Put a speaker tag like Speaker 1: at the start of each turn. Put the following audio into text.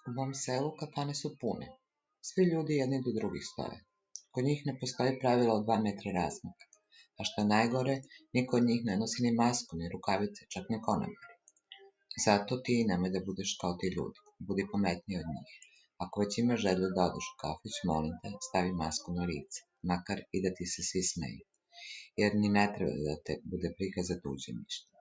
Speaker 1: U mom selu kafane su pune. Svi ljudi jedni do drugih stoje. Kod njih ne postoji pravilo od 2 metra razmaka. A što je najgore, niko od njih ne nosi ni masku, ni rukavice, čak ni konobari. Zato ti nemoj da budeš kao ti ljudi. Budi pametniji od njih. Ako već imaš želju da odeš u kafić, molim te, stavi masku na lice. Makar i da ti se svi smeju. Jer ni ne treba da te bude briga za tuđe mišljenje.